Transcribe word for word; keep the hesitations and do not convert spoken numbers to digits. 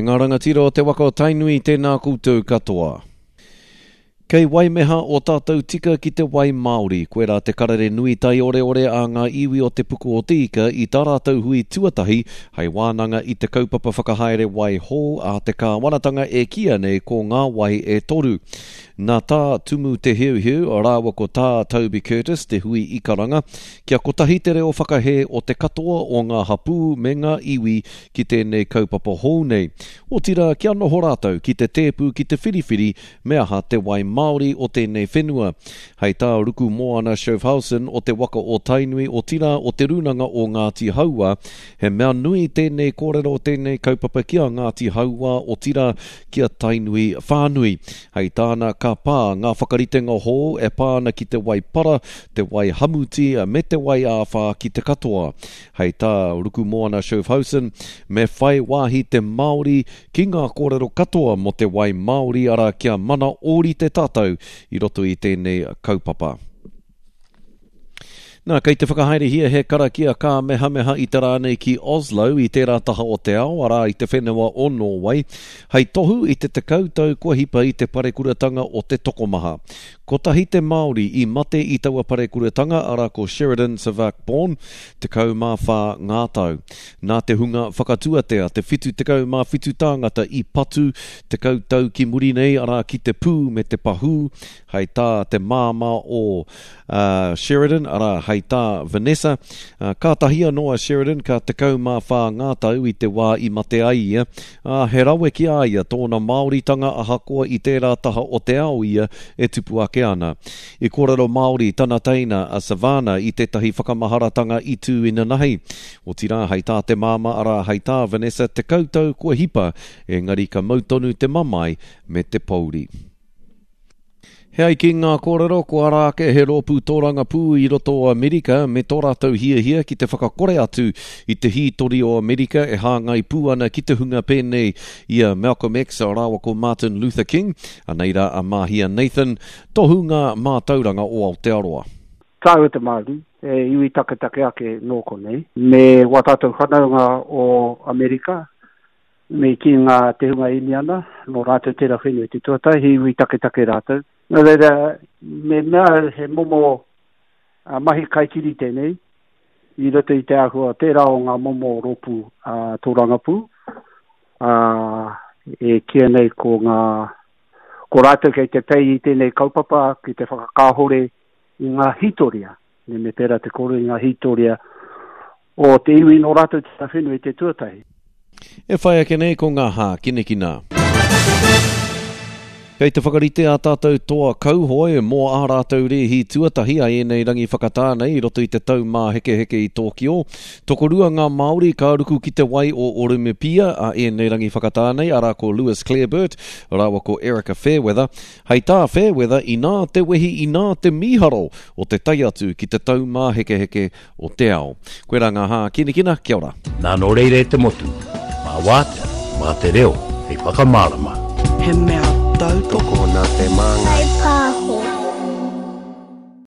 E ngā rangatira o te waka o Tainui, tēnā koutou katoa. Kei waimeha o tātou tika ki te wai Māori, koirā te karere nui taioreore a ngā iwi o Te Puku o Te Ika i tā rātou hui tuatahi hei wānanga i te kaupapa whakahaere wai hou a te kāwanatanga e kīia nei ko Ngā Wai e Toru. Nā Tā Tumu Te Heuheu rāua ko Tā Toby Curtis te hui i karanga kia kotahi te reo whakahē o te katoa o ngā hapū me ngā iwi ki tēnei kaupapa hou nei. Otirā kia noho rātou ki te tēpu ki te whiriwhiri me aha te wai Māori o tēnei whenua. Hei tā Rukumoana Schaafhausen o te waka o Tainui, otirā o Te Rūnanga o Ngāti Hauā, he mea nui tēnei kōrero, tēnei kaupapa ki a Ngāti Hauā, otirā ki a Tainui whānui. Hei tāna, ka pā ngā whakaritenga hou e pā ana ki te wai para, te wai hamuti me te wai āwhā ki te katoa. Hei tā Rukumoana Schaafhausen, me whai wāhi te Māori ki ngā kōrero katoa mō te wai Māori, arā kia mana ōrite tātou i roto i tēnei kaupapa. Nā, kei te whakahaerehia he karakia kāmehameha i te rā nei ki Oslo i tērā taha o te ao, arā i te whenua o Nōwai, hei tohu i te tekau tau kua hipa i te parekuratanga o te tokomaha. Kotahi te Māori i mate i taua parekuratanga, arā ko Sheridan Savak Bourne, tekau mā whā ngā tau. Nā te hunga whakatuatea te whitu tekau mā whitu tāngata i patu tekau tau ki muri nei, arā ki te pū me te pahū, hei tā te māmā o uh, Sheridan, arā, hei tā Vanessa. Uh, kātahi anō a Sheridan ka tekau mā whā ngā tau i te wā i mate ai ia. Uh, he rawe ki a ia tōna Māoritanga ahakoa i tērā taha o te ao ia e tupu ake ana. I kōrero Māori tana teina a Savannah i tētahi whakamaharatanga i tū inanahi. Otirā, hei tā te māmā, arā, hei tā Vanessa, tekau tau kua hipa, engari ka mau tonu te mamae me te pouri. He ai ki ngā kōrero, ko ara ake he rōpū tōrangapū i roto o Amerika me tō rātou hiahia ki te whakakore atu i te hītori o Amerika e hāngai pū ana ki te hunga pēnei i a Malcolm X rāua ko Martin Luther King, anei rā a Mahia Nathan, tohunga mātauranga o Aotearoa. Tāua te Māori, e iwi taketake ake nō konei, me wā tātou whanaunga o Amerika, me ki ngā te hunga Iniana, nō rātou tērā whenua te tuatahi, he iwi taketake rātou. Nō reira, me mea he momo uh, mahi kaikiri tēnei, i roto i te āhua tērā o ngā momo rōpū uh, tōrangapū, uh, e kīia nei ko ngā, ko rātou kei te pei i tēnei kaupapa ki te whakakāhore i ngā hītoria, me, me pērā te kōrero i ngā hītoria o te iwi nō rātou te whenua i te tuatahi. E whai ake nei ko ngā hākinakina. Kei te whakarite a tātou toa kauhoe mō ā rātou rēhi tuatahi a ēnei rangi whakatā nei i roto i te tau māhekeheke i Tōkio. Tokorua ngā Māori ka ruku ki te wai o Orumipia a ēnei rangi whakatā nei, arā ko Lewis Clareburt rāua ko Erika Fairweather. Hei tā Fairweather, inā te wehi, inā te mīharo o te tae atu ki te tau māhekeheke o te ao. Koirā ngā hākinakina, kia ora. Nā nō reira e te motu, mā wātea, mā te reo, hei whakamārama. He mea tautoko. Tokona te māngai. Whai